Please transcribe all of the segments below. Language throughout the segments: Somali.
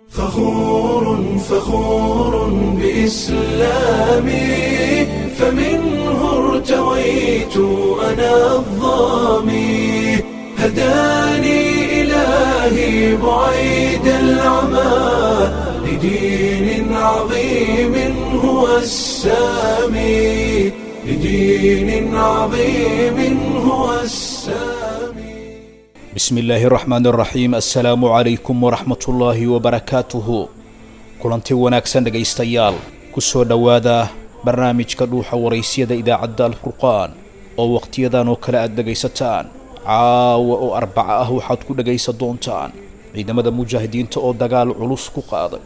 فخور فخور بإسلامي، فمنه ارتويت أنا الظامي، هداني إلهي بعيد العمى لدين عظيم هو السامي، لدين عظيم هو السامي. بسم الله الرحمن الرحيم. Assalaamu calaykum waraxmatullaahi wabarakaatuhu. Kulanti wanaagsan dhegaystayaal, ku soo dhowaada barnaamijka Dhuuxa Waraysyada idaacadda Alfurqaan oo wakhtiyadan oo kale aad dhegaysataan. Caawa oo Arbaca ah waxaad ku dhegaysan doontaan ciidamada mujaahidiinta oo dagaal culus ku qaaday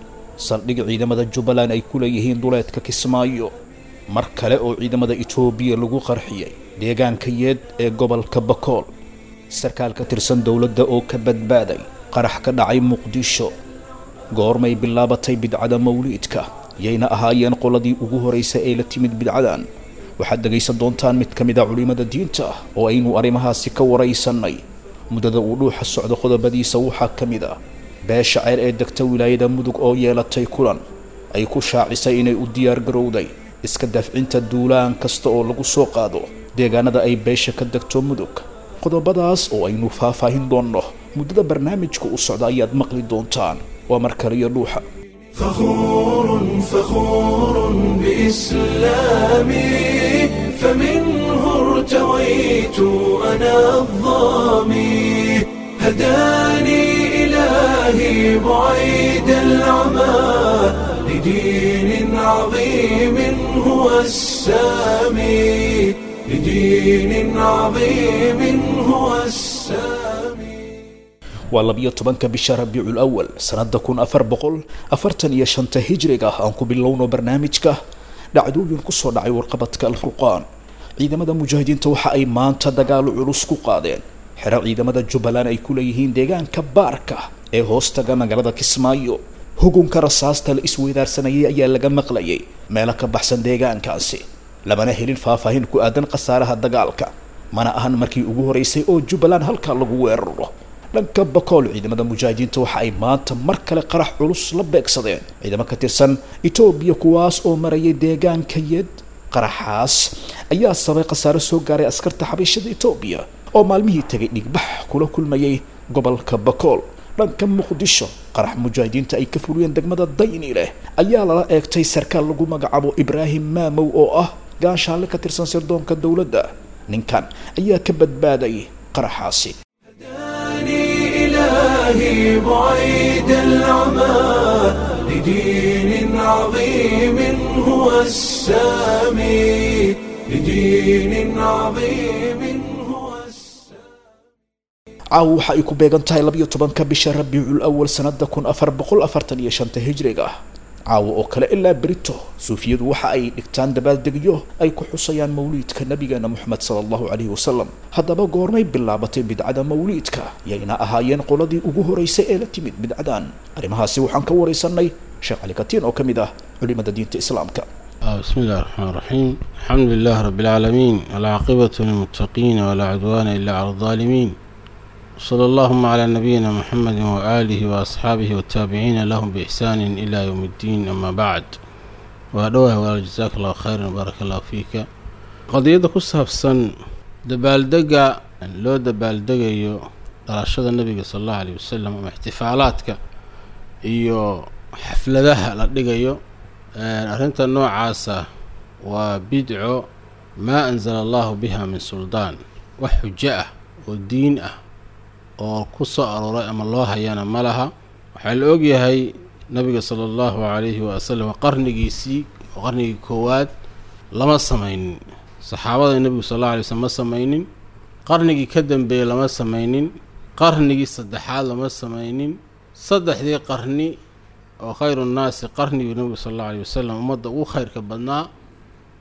saldhig ciidamada Jubbaland ay ku leeyihiin duleedka Kismaayo, mar kale oo ciidamada Itoobiya lagu qarxiyey deegaanka Yeed ee gobolka Bakool, sarkaal ka tirsan dowladda oo ka badbaaday qarax ka dhacay Muqdisho, goormay bilaabatay bidcada mawliidka, yayna ahaayeen qoladii ugu horraysay ee la timid bidcadan? Waxaad dhegaysan doontaan mid ka mid a culimada diinta ah oo aynu arrimahaasi ka waraysannay. Muddada uu Dhuuxa socdo qodobadiisa waxaa ka mid ah beesha Ceyr ee degta wilaayada Mudug oo yeelatay kulan ay ku shaacisay inay u diyaar garowday iska dafcinta duulaan kasta oo lagu soo qaado deegaanada ay beesha ka degto Mudug. Qodobadaas oo aynu faahfaahin doonno muddada barnaamijka u socda ayaad maqli doontaan. Waa mar kale iyo Dhuuxa. فخور فخور بإسلامي، فمنه ارتويت أنا الظامي، هداني إلهي بعيد العمى لدين عظيم هو السامي، لدين عظيم هو السامي. Waa 12-ka bisha Rabiicul Awal sanadda 1445-ta hijriga. Aan ku bilowno barnaamijka dhacdooyin ku soo dhacay warqabadka Alfurqaan. Ciidamada mujaahidiinta waxa ay maanta dagaalo culus ku qaadeen xero ciidamada Jubbaland ay ku leeyihiin deegaanka Baarka ee hoostaga magaalada Kismaayo. Hugunka rasaasta la isweydaarsanayay ayaa laga maqlayay meelo ka baxsan deegaankaasi, lamana helin faahfaahin ku aadan khasaaraha dagaalka. Mana ahan markii ugu horeysay oo Jubbaland halkaa lagu weeraro. Dhanka Bakool, ciidamada mujaahidiinta waxa ay maanta mar kale qarax culus la beegsadeen ciidamo ka tirsan Itoobiya kuwaas oo marayay deegaanka Yed. Qaraxaas ayaa sabay khasaaro soo gaaray askarta xabiishada Itoobiya oo maalmihii tegay dhigbax kula kulmayay gobolka Bakool. Dhanka Muqdisho, qarax mujaahidiinta ay ka fuliyeen degmada Dayni leh ayaa lala eegtay sarkaal lagu magacaabo Ibraahim Maamow oo ah gaashaanle ka tirsan sirdoonka dowladda. Ninkan ayaa ka badbaaday qaraxaasi. هداني إلهي بعيد العمى لدين عظيم هو السامي، لدين عظيم هو السامي. Caawa waxa ay ku beegan tahay 12-ka bisha Rabiicul Awal sanadda 1445-ta hijriga. Caawa oo kale ilaa berito suufiyadu waxa ay dhigtaan dabaaldegyo ay ku xusayaan mawliidka nabigeena Moxamed sala Allahu calayhi wasalam. Haddaba goormay bilaabatay bidcada mawliidka, yayna ahaayeen qoladii ugu horeysay ee la timid bidcadan? Arrimahaasi waxaan ka waraysanay Sheekh Cali Katiin oo ka mid ah culimada diinta Islaamka. بسم الله الرحمن الرحيم، الحمد لله رب العالمين، العاقبة للمتقين ولا عدوان إلا على الظالمين، صلى اللهم على نبينا محمد وآله وأصحابه والتابعين لهم بإحسان إلى يوم الدين، أما بعد. وهدوه جزاك الله خيرا، بارك الله فيك. قضية كسابسن dabaaldega loo dabaaldegayo dhalashada nabiga sala Allahu alayh wasalam ama ixtifaalaadka iyo xafladaha la dhigayo, arrinta noocaasa waa bidco maa anzala Allahu biha min suldaan. Wax xujo ah oo diin ah oo ku soo arooray ama loo hayana ma laha. Waxaa la ogyahay nabiga sala Allahu calayhi wasalam qarnigiisii oo qarnigii koowaad lama samaynin, saxaabada nebigu sal Alla alay slm ma samaynin, qarnigii ka dambeeyey lama samaynin, qarnigii saddexaad lama samaynin. Saddexdii qarni oo khayru nnaasi, qarnigii nebigu sal Allahu alay wasalam ummadda ugu khayrka badnaa,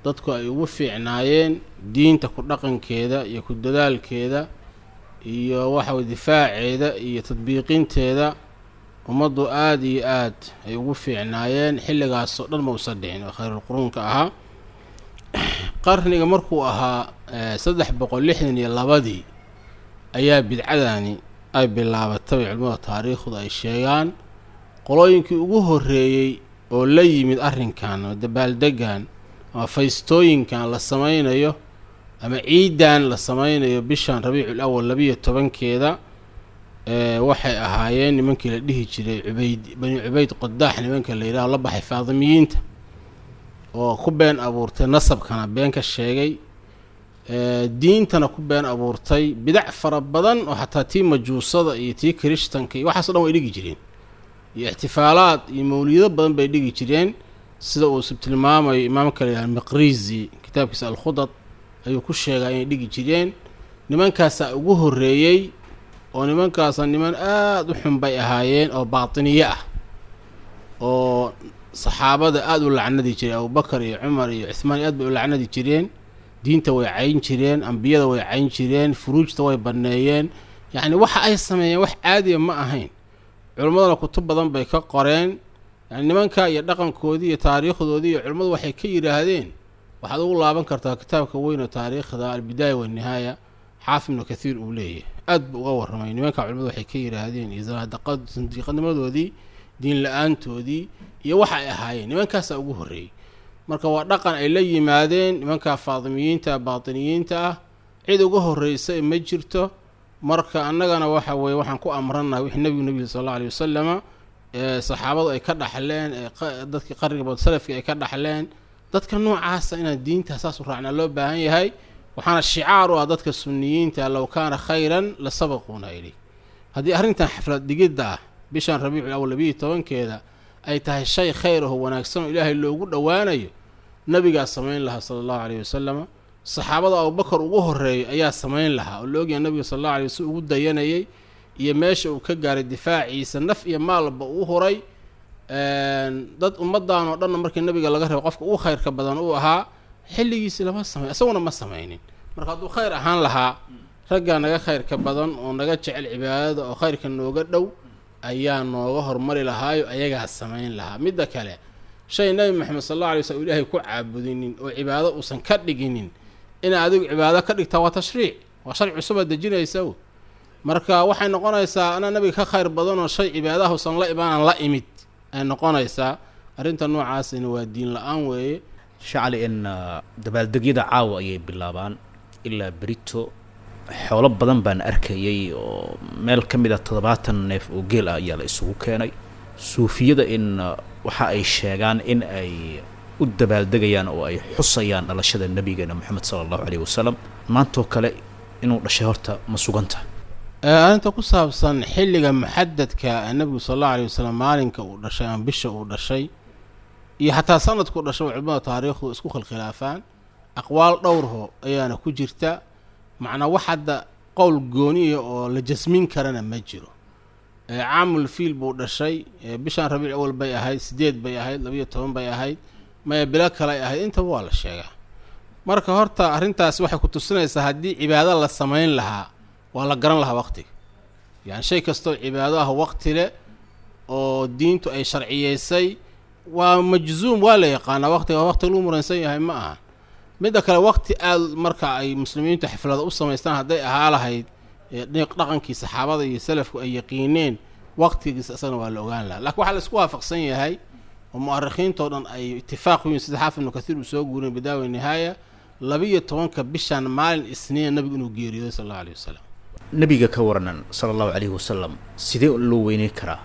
dadku ay ugu fiicnaayeen diinta ku dhaqankeeda iyo ku dadaalkeeda iyo waxa way difaaceeda iyo tadbiiqinteeda, ummaddu aada iyo aad ay ugu fiicnaayeen, xilligaasoo dhan ma usan dhicin oo khayrulquruunka ahaa. Qarniga markuu ahaa 362-dii ayaa bidcadani ay bilaabatay, bay culimmada taariikhdu ay sheegaan. Qolooyinkii ugu horreeyey oo la yimid arrinkan ama dabaaldegan ama faystooyinkan la sameynayo ama ciidan la sameynayo bishan Rabiicul Awal 12-keeda, waxay ahaayeen nimankii la dhihi jiray Cubayd, Bani Cubayd Qodaax, nimanka la yidhaho la baxay Faadimiyiinta, oo ku been abuurtay nasabkana been ka sheegay, diintana ku been abuurtay, bidac fara badan oo xataa tii majuusada iyo tii kirishtanka iyo waxaaso dhan way dhigi jireen, iyo ixtifaalaad iyo mawliyado badan bay dhigi jireen, sida uu tilmaamayo imaamka la yidhaha Miqrizi kitaabkiisa Alkhudad ayuu ku sheegaa inay dhigi jireen. Nimankaasaa ugu horreeyey, oo nimankaasa niman aada u xun bay ahaayeen oo baatiniye ah oo saxaabada aada u lacnadi jiray. Abubakar iyo Cumar iyo Cuthmaan aad bay u lacnadi jireen, diinta way cayn jireen, ambiyada way cayn jireen, furuujta way banneeyeen. Yacni waxa ay sameeyeen wax caadiya ma ahayn. Culimmadana kutub badan bay ka qoreen, yani nimanka iyo dhaqankoodii iyo taariikhdoodii iyo culimmadu waxay ka yidhaahdeen. Waxaad ugu laaban kartaa kitaabka weyn oo taariikhda Albidaaya Walnihaaya, Xaafid Ibnu Kathiir uu leeyahay, aad buu uga warramay nimanka culimmadu waxay ka yidhaahdeen iyo sandiiqanimadoodii, diin la-aantoodii iyo waxa ay ahaayeen. Nimankaasaa ugu horreeyey. Marka waa dhaqan ay la yimaadeen nimanka Faadimiyiinta baatiniyiinta ah, cid uga horreysa ma jirto. Marka annagana waxa weeye waxaan ku amrannahay wixii nebigu sal allahu aleyh wasalama ee saxaabadu ay ka dhaxleen, ee dadkii qarniga bad salafkii ay ka dhaxleen. Dadka noocaasa inaan diinta saas u raacnaa loo baahan yahay. Waxaana shicaar u ah dadka sunniyiinta: low kaana khayran la sabaquuna ilay. Haddii arrintan xaflad dhigidda ah bishan Rabiicul Awal 12-keeda ay tahay shay khayr aho wanaagsan oo Ilaahay loogu dhowaanayo, nabigaa samayn lahaa sala allahu caleyhi wasalama, saxaabada Abubakar ugu horreeyay ayaa samayn lahaa, oo la ogyahay nabiga sal allahu alay waslm ugu dayanayay iyo meesha uu ka gaaray difaaciisa, naf iyo maalba uu huray dad ummaddan oo dhanna. Markii nabiga laga reebo qofka ugu khayrka badan uu ahaa, xilligiisi lama samey, isaguna ma samaynin. Marka hadduu khayr ahaan lahaa, raggaa naga khayrka badan oo naga jecel cibaadada oo khayrka nooga dhow ayaa nooga hormari lahaayo, ayagaa samayn lahaa. Midda kale, shay Nabi Maxamed sal alla alay slam Ilaahay ku caabudinin oo cibaado uusan ka dhiginin, ina adigu cibaado ka dhigtaa waa tashriic, waa sharci cusubaad dejinaysa. Marka waxay noqonaysaa anaa nabiga ka khayr badan oo shay cibaadaha usan la imaanaan la imid ay noqonaysaa. Arrinta noocaasina waa diin la-aan weeye. Shacali, in dabaaldegyada caawa ayay bilaabaan ilaa berito. Xoolo badan baan arkayay oo meel ka mid a 70 neef oo geel ah ayaa la isugu keenay. Suufiyada in waxa ay sheegaan in ay u dabaaldegayaan oo ay xusayaan dhalashada nabigeena Moxamed sala allahu caleyhi wasalam maantoo kale inuu dhashay, horta ma suganta? Arrinta ku saabsan xilliga muxadadka nabigu sal allahu alay wasalam, maalinka uu dhashay ama bisha uu dhashay iyo xataa sanadkuu dhashay, culimada taariikhdu isku khilkhilaafaan, aqwaal dhowrho ayaana ku jirta. Macnaa wax hadda qowl gooniya oo la jasmin karana ma jiro. Caamul fiil buu dhashay, bishan Rabiic Awal bay ahayd, 8 bay ahayd, 12 bay ahayd, maya bilo kale ay ahayd, intaba waa la sheegaa. Marka horta arrintaas waxay ku tusinaysaa haddii cibaado la samayn lahaa waa la garan lahaa waqtiga. Yani shay kastoo cibaado ah waqti leh oo diintu ay sharciyeysay waa majzuum, waa la yaqaanaa waqtiga, waqti lagu muransan yahay ma aha. Midda kale, waqti aada marka ay muslimiintu xaflada u samaystaan hadday ahaa lahayd, dhaqankii saxaabada iyo salafku ay yaqiineen, waqtigiisa isagana waa la ogaan lahaa. Lakin waxaa la isku waafaqsan yahay oo mu'arikhiintoo dhan ay itifaaq ku yihin, sida Xaafid Ibnu Kathiir uu soo guurinay Bidaaya Nihaaya, 12-ka bishan maalin Isniina nabigu inuu geeriyooday sal allahu alayh wasalam. Nabiga ka waranan sala allahu calayhi wasalam, sidee loo weyneyn karaa?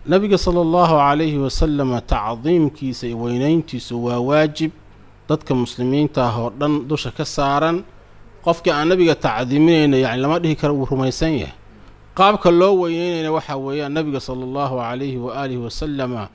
Nabiga sala allahu calayhi wasalama tacdiimkiisa iyo weynayntiisu waa waajib dadka muslimiinta ah oo dhan dusha ka saaran. Qofkii aan nabiga tacdiiminayna yani lama dhihi karo wuu rumaysan yahay. Qaabka loo weyneynayna waxaa weeyaan nabiga sala allahu calayhi waaalihi wasalama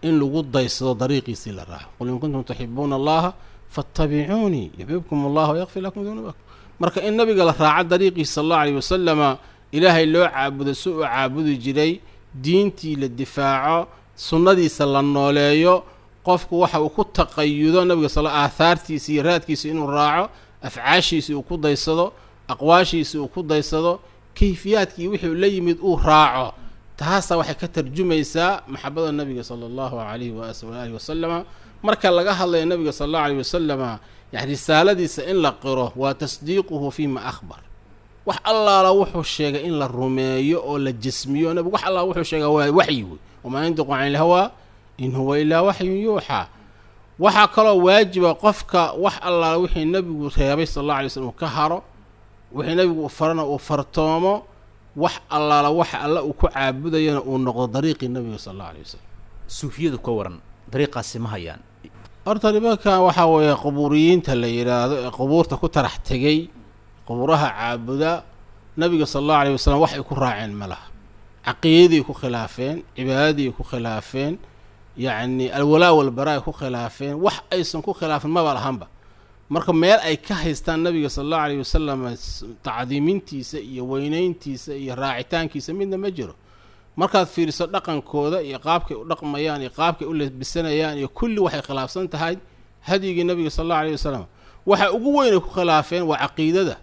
in lagu daysado, dariiqiisii la raaco. Qul in kuntum tuxibuuna allaha faatabicuunii yuxbibkum allah wayakfir lakum dunuubakum. Marka in nabiga la raaco dariiqiisa sal allahu alayh wasalama, Ilaahay loo caabudo si uu caabudi jiray, diintii la difaaco, sunnadiisa la nooleeyo, qofku waxa uu ku taqayudo nabiga sal aathaartiisa iyo raadkiisa inuu raaco, afcaashiisii uu ku daysado, aqwaashiisii uu ku daysado, kayfiyaadkii wixii la yimid uu raaco, taasaa waxay ka tarjumaysaa maxabada nabiga sala allahu calayhi waalihi wasalama. Marka laga hadlayo nabiga sala allahu alayh wasalama, yani risaaladiisa in la qiro waa tasdiiquhu fiima akhbar, wax allaala wuxuu sheegay in la rumeeyo oo la jismiyo. Nabigu wax allaala wuxuu sheegaa waa waxyi wey, Wamaa yandiqu cani ilhawaa in huwa ilaa waxyun yuuxaa. Waxaa kaloo waajiba qofka wax allaala wixii nebigu reebay sala allahu alay slam uu ka haro, wixii nebigu uu farana uu fartoomo, wax allaala waxa alla uu ku caabudayana uu noqdo dariiqii nebiga sala allahu alay wasalam. Suufiyadu ka waran, dariiqaasi ma hayaan? Horta nimankan waxaa weeye qubuuriyiinta la yidhaahdo ee qubuurta ku tarax tegey, qubuuraha caabuda, nabiga sala allahu alayh wasalam wax ay ku raaceen ma laha. Caqiidadii ku khilaafeen, cibaadadii ku khilaafeen, yacni alwalaa walbaraa ay ku khilaafeen, wax aysan ku khilaafin maba lahanba. Marka meel ay ka haystaan nabiga sala allahu alayh wasalam tacdiimintiisa iyo weyneyntiisa iyo raacitaankiisa midna ma jiro. Markaad fiiriso dhaqankooda iyo qaabkay u dhaqmayaan iyo qaabkay u lebisanayaan iyo kulli, waxay khilaafsan tahay hadyigii nabiga sala allahu alayh wasalam. Waxa ugu weyn ay ku khilaafeen waa caqiidada,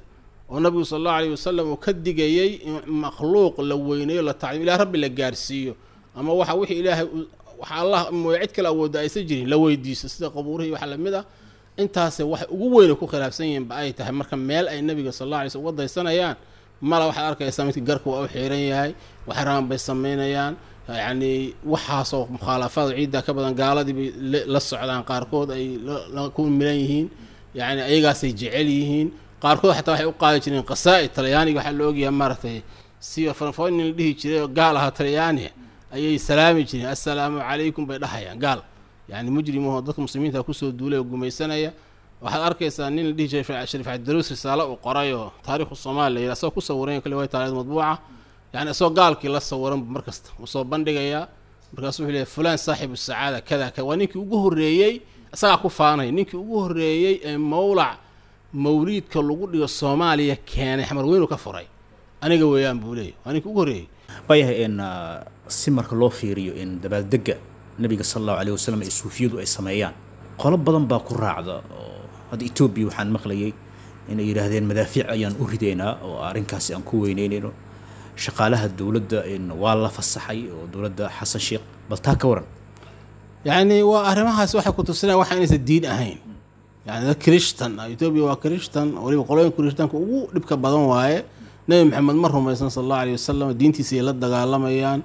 oo nabigu sala allahu alayh wasalam uu ka digayey in makhluuq la weyneeyo, la tacdiim, ilaah rabbi la gaarsiiyo, ama waxa wixii ilaahay waxa allah mooye cid kale awoodda aysan jirin la weydiiso, sida qabuurihii waxa lamid ah. Intaase waxay ugu weyn ay ku khilaafsan yihiin ba ay tahay. Marka meel ay nabiga sala allahu alay slam uga daysanayaan mala. Waxaad arkaysaa midka garka waa u xiiran yahay, waxay rabaan bay samaynayaan, yacni waxaasoo mukhaalafaad ciidda ka badan. Gaaladii bay la socdaan, qaarkood ay ku milan yihiin, yacni ayagaasay jecel yihiin. Qaarkood xataa waxay u qaadi jireen qasaa'id. Talyaaniga waxaa la ogyahay maaragtay siyo fanfoon nin la dhihi jiray oo gaal ahaa Talyaani ayay salaami jireen, assalaamu calaykum bay dhahayaan, gaal yani mujrimahoo dadka muslimiinta kusoo duulay oo gumaysanaya. Waxaad arkaysaa nin la dhihi jiray Shariif Cabdiruus, risaalo uu qoray oo taariikhu Soomaaliya la yidhaha, asagoo ku sawiran kale way taariikhda madbuuca, yani isagoo gaalkii la sawiran markasta uu soo bandhigayaa. Markaasuu wuxuu leeyahay fulaan saaxibu sacaada kada ka waa ninkii ugu horreeyey, isagaa ku faanaya, ninkii ugu horreeyey ee mawlac mawliidka lagu dhigo Soomaaliya keenay, Xamar weynu ka furay aniga weeyaan buu leeyahy, waa ninkii ugu horreeyey. Waayahay, in si marka loo fiiriyo in dabaaldega nabiga sala allahu alayh wasalam ee suufiyadu ay sameeyaan, qolo badan baa ku raacda, oo hadda Etoobiya waxaan maqlayay inay yidhaahdeen madaafiic ayaan u ridaynaa oo arrinkaasi aan ku weyneynaynno, shaqaalaha dowladda in waa la fasaxay oo dowladda Xasan Sheekh. Bal taa ka waran? Yacni waa arrimahaas waxay ku tusinayaan waxa inaysan diin ahayn. Yani dad Kirishtan ah, Etoobiya waa Kirishtan, weliba qolooyin Kirishtanka ugu dhibka badan waaye. Nebi Maxamed ma rumaysan sala allahu alayh wasalam, diintiisa ay la dagaalamayaan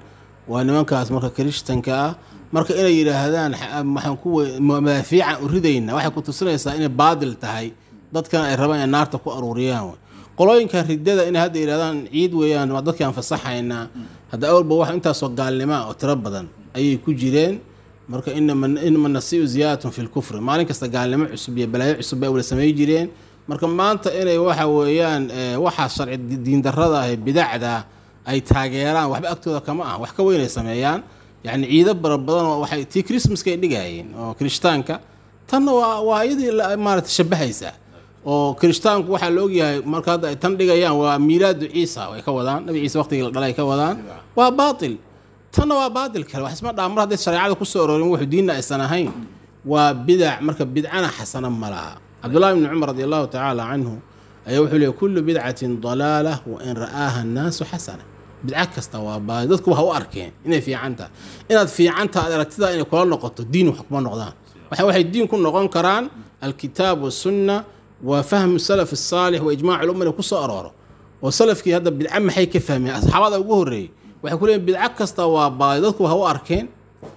waa nimankaas marka Kirishtanka ah. Marka inay yidhaahdaan waxaan ku madaafiican u ridayna waxay ku tusinaysaa inay baadil tahay, dadkana ay rabaan inay naarta ku aruuriyaan wey. Qolooyinka riddada inay hadda yidhahdaan ciid weeyaan, waa dadkii aan fasaxaynaa, hadda awalba wax intaasoo gaalnima oo tiro badan ayay ku jireen. Marka inama nasiu ziyaadatun fi lkufri, maalin kasta gaalnimo cusub iyo balaayo cusub bay wala samay jireen. Marka maanta inay waxa weeyaan waxaa sharci diindarrada ah ee bidacda ay taageeraan waxba agtooda kama ah, wax ka weyn ay sameeyaan. Yacni ciido bara badan oo waxay tii Christmaska ay dhigayeen oo Kirishtaanka, tanna waa iyadii maaragtay shabahaysa oo Kirishtaanku waxaa la ogyahay marka hadda ay tan dhigayaan waa miilaadu Ciisa ay ka wadaan, nabi Ciise waqtigii la dhalay ay ka wadaan, waa baatil. Tanna waa baatil kale, wax isma dhaa mar hadday shareecada kusoo aroorin, wuxuu diinna aysan ahayn, waa bidac. Marka bidcana xasana ma laha. Cabdullahi bni Cumar radi allahu tacaala canhu ayaa wuxuu leeyay kullu bidcatin dalaala wa in ra'aaha annaasu xasana. Bidco kasta waa baadi, dadku waxa u arkeen inay fiican tahay. Inaad fiican tahay aad aragtidaa inay kula noqoto diin wax kuma noqdaan. Waxay diin ku noqon karaan alkitaab wasunna wa fahmu salaf asaalix wa ijmaac lumma inay kusoo arooro. Oo salafkii hadda bidco maxay ka fahmeen? Asxaabada ugu horreeyey waxay ku leeyihin bidco kasta waa baadi, dadku waxa u arkeen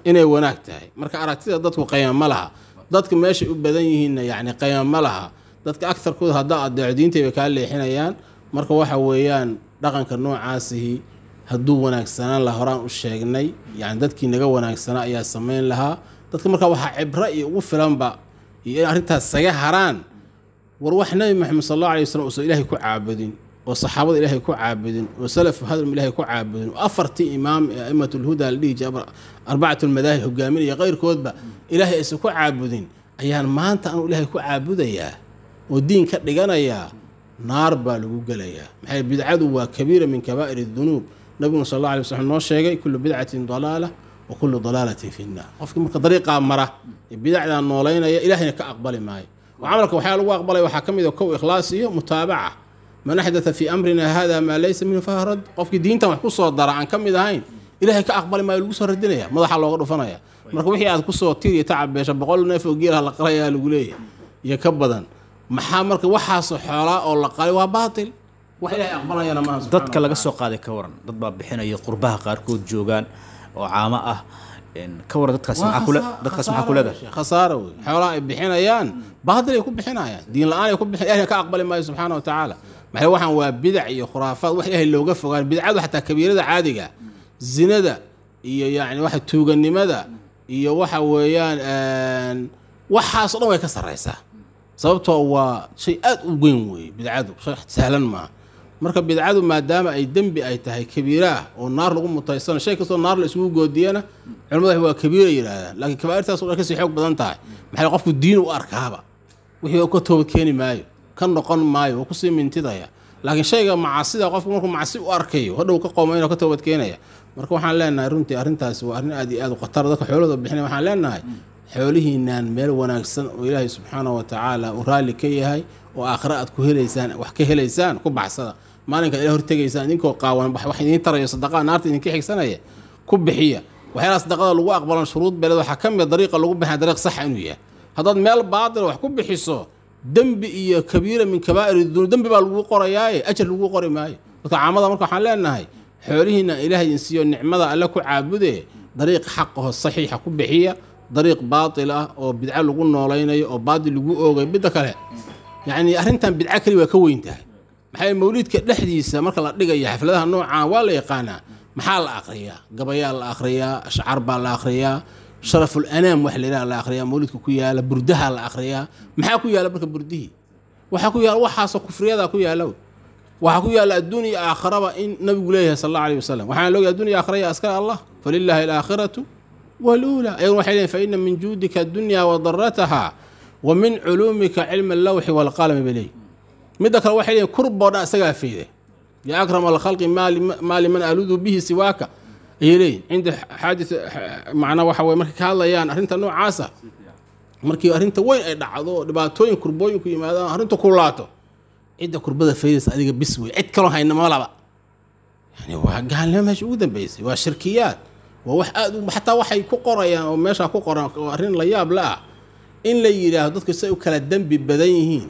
inay wanaag tahay. Marka aragtida dadku qiimo ma laha, dadka meeshay u badan yihiinna yacni qiimo ma laha. Dadka agtarkooda haddaa adeeco diintay bay kaa leexinayaan. Marka waxa weeyaan dhaqanka noocaasihi hadduu wanaagsanaan laha, horaan u sheegnay, yani dadkii naga wanaagsanaa ayaa samayn lahaa. Dadka marka waxaa cibro iyo ugu filanba iyo in arrintaas saga haraan, war wax nabi Maxamed sal allahu alay wasalam uusan ilaahay ku caabudin, oo saxaabada ilaahay ku caabudin, oo salafu hadalm ilaahay ku caabudin, oo afartii imaam ee a'imatulhuda la dhihi jiray arbacatu lmadaahib hogaaminaya keyrkoodba ilaahay aysan ku caabudin, ayaan maanta anuu ilaahay ku caabudayaa oo diin ka dhiganayaa, naar baa lagu gelayaa. Maxay bidcadu waa kabiira min kabaa'ir dunuub. Nabiguna sal alla alay wasalam noo sheegay kullu bidcatin dalaala wa kullu dalaalatin fi nnaar. Qofkii marka dariiqaa mara ee bidacdaa noolaynaya ilaahayna ka aqbali maayo. Oo camalka waxyaa lagu aqbalaya waxaa ka mid a kow ikhlaas iyo mutaabaca. Man axdatha fii amrina hada maa laysa minhu fahuwa rad. Qofkii diintan wax ku soo dara aan ka mid ahayn ilaahay ka aqbali maayo, lagu soo radinaya, madaxa looga dhufanaya. Marka wixii aad kusoo tir iyo tacab beesha, 100 neef oo geelaha la qalayaa lagu leeyahay iyo ka badan, maxaa marka waxaasoo xoolaa oo la qalay waa baatil, wax ilaahay aqbalayana maaha. Dadka laga soo qaaday ka waran? Dad baa bixinaya, qurbaha qaarkood joogaan, Oo caamo ah ka waran dadkaas, maxaa kule dadkaas, maxaa ku leedahay? Khasaara wey. Xoolaha ay bixinayaan baadil ay ku bixinayaan, diin la-aan ay ku bixin, Ilahay ka aqbali maayo subxaana wa tacaala. Maxay waxaan waa bidac iyo khuraafaad, wax Ilaahay looga fogaan. Bidcadu xataa kabiirada caadiga, zinada iyo yacni waxa tuuganimada iyo waxa weeyaan waxaas o dhan way ka sarreysaa, sababtoo waa shay aad u weyn weeye bidcadu, shay sahlan maaha. Marka bidcadu maadaama ay dembi ay tahay kabiira ah oo naar lagu mutaysano, shay kastoo naar la isugu goodiyana culimadu waa kabiira yidhaahdaan, laakiin kabaa'irtaas oo dhan kasii xoog badan tahay. Maxay qofku diin u arkaaba wixii ka toobad keeni maayo, ka noqon maayo, waa kusii mintidaya. Laakiin shayga macaasida qofku markuu macsi u arkayo hadhow ka qoomayno, ka toobad keenaya. Marka waxaan leenahay runtii arrintaasi waa arrin aad iyo aad u khatar. Dadka xoolahooda bixinaya waxaan leenahay xoolihiinaan meel wanaagsan oo Ilaahay subxaana wa tacaala uu raalli ka yahay oo aakhira aad ku helaysaan, wax ka helaysaan, ku baxsada. Maalinka Ilaah hortegaysaan idinkoo qaawan wax idiin tarayo sadaqaa naarta idinka xigsanaya ku bixiya. Waxyaalaha sadaqada lagu aqbalan shuruud beeleed waxaa ka mid dariiqa lagu bixina dariiq saxa inuu yahay. Haddaad meel baatila wax ku bixiso, dembi iyo kabiira min kabaa'ir dunuub dembi baa lagu qorayaaye, ajar lagu qori maayo. Dadka caamada marka waxaan leenahay xoolihiina Ilaahay idin siiyo, nicmada Alle ku caabude, dariiq xaqaho saxiixa ku bixiya. Dariiq baatil ah oo bidco lagu noolaynayo oo baatil lagu oogayo. Midda kale, yacni arrintan bidco keli waa ka weyn tahay. Maxaa mawliidka dhexdiisa marka la dhigaya xafladaha noocaan waa la yaqaanaa maxaa la aqriyaa? Gabayaa la aqriyaa, ashcaar baa la aqriyaa, sharaful anaam wax la yidhaha la aqriyaa, mawliidka ku yaala burdaha la aqriyaa. Maxaa ku yaala marka burdihii? Waxaa ku yaala waxaasoo kufriyadaa ku yaala wey. Waxaa ku yaala adduun iyo aakharaba in nabigu leeyahay sal allahu alayh wasalam. Waxaana loogahay adduun iyo aakhara ya askara Allah, falilaahi alaakhiratu waluula. Ayaguna waxay leeyihin fa ina min juudika addunya wa darataha wa min culuumika cilma allawxi waalqalami bay leeyihin. Midda kale waxay leeyihin kurboo dhan isagaa fayday, yaa akrama alkhalqi maa liman aludu bihi siwaaka ayay leeyihin. Cinda xaadis macnaa waxa weye markay ka hadlayaan arrinta noocaasa, markii arrinta weyn ay dhacdo, dhibaatooyin kurbooyinku yimaadaan, arrinta kulaato, cidda kurbada faydaysa adiga bis wey, cid kaloo hayna ma laba. Yani waa gaalnimo meesha ugu dambeysay, waa shirkiyaad, waa wax aad u xataa waxay ku qorayaan oo meeshaa ku qoran oo arrin la yaab la ah in la yidhaahdo dadku say u kala dembi badan yihiin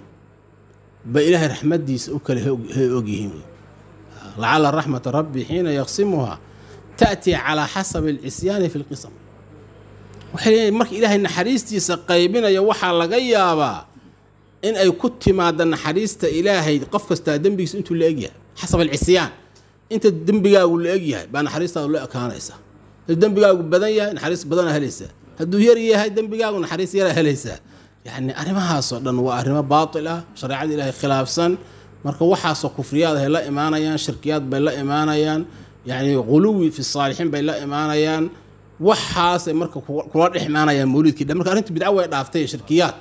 ba Ilaahay raxmaddiisa u kala og yihiin. Lacala raxmata rabbi xiina yaqsimuha ta'tii calaa xasabi alcisyaani fi lqisam. Waxay leeyihin marka Ilaahay naxariistiisa qaybinaya waxaa laga yaabaa in ay ku timaada naxariista Ilaahay qof kastaa dembigiisa intuu la egyahay, xasab alcisyaan, inta dembigaagu la egyahay baa naxariistaadu la ekaanaysa. Hadduu dembigaagu badan yahay naxariis badana helaysaa, hadduu yar yahay dembigaagu naxariis yaraa helaysaa. Yacni arrimahaasoo dhan waa arrimo baatil ah, shareecada Ilaahay khilaafsan. Marka waxaasoo kufriyaad ay la imaanayaan, shirkiyaad bay la imaanayaan, yacni ghuluwi fi saalixiin bay la imaanayaan, waxaasay marka kula dhex imaanayaan mawliidkii dhan. Marka arrintu bidco way dhaaftay, shirkiyaad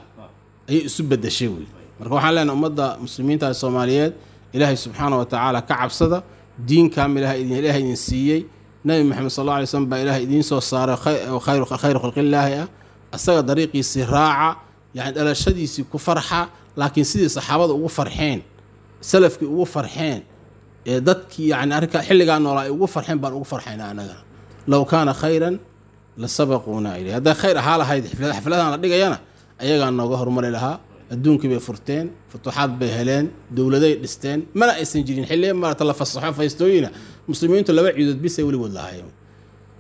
ayay isu bedeshay wey. Marka waxaan leenahay ummadda muslimiinta ee Soomaaliyeed, Ilaahay subxaana wa tacaala ka cabsada. Diin kaamil ah idin Ilaahay idin siiyey, Nabi Maxamed sal alla alay slam baa Ilaahay idiin soo saaray khayru khalqillaahi ah, asaga dariiqiisii raaca, yani dhalashadiisii ku farxa, laakiin sidii saxaabada ugu farxeen, salafkii ugu farxeen, ee dadkii yani arrinka xilligaa noolaa ay ugu farxeen baan ugu farxaynaa annagana. Low kaana khayran la sabaquuna ilayh, hadday khayr ahaa lahayd xafladahan la dhigayana ayagaa nooga horumari lahaa. Adduunkii bay furteen, futuuxaad bay heleen, dowladay dhisteen, mana aysan jirin xilliya maarata la fasaxo faystooyina. Muslimiintu laba ciidood bisay weligood lahaayeen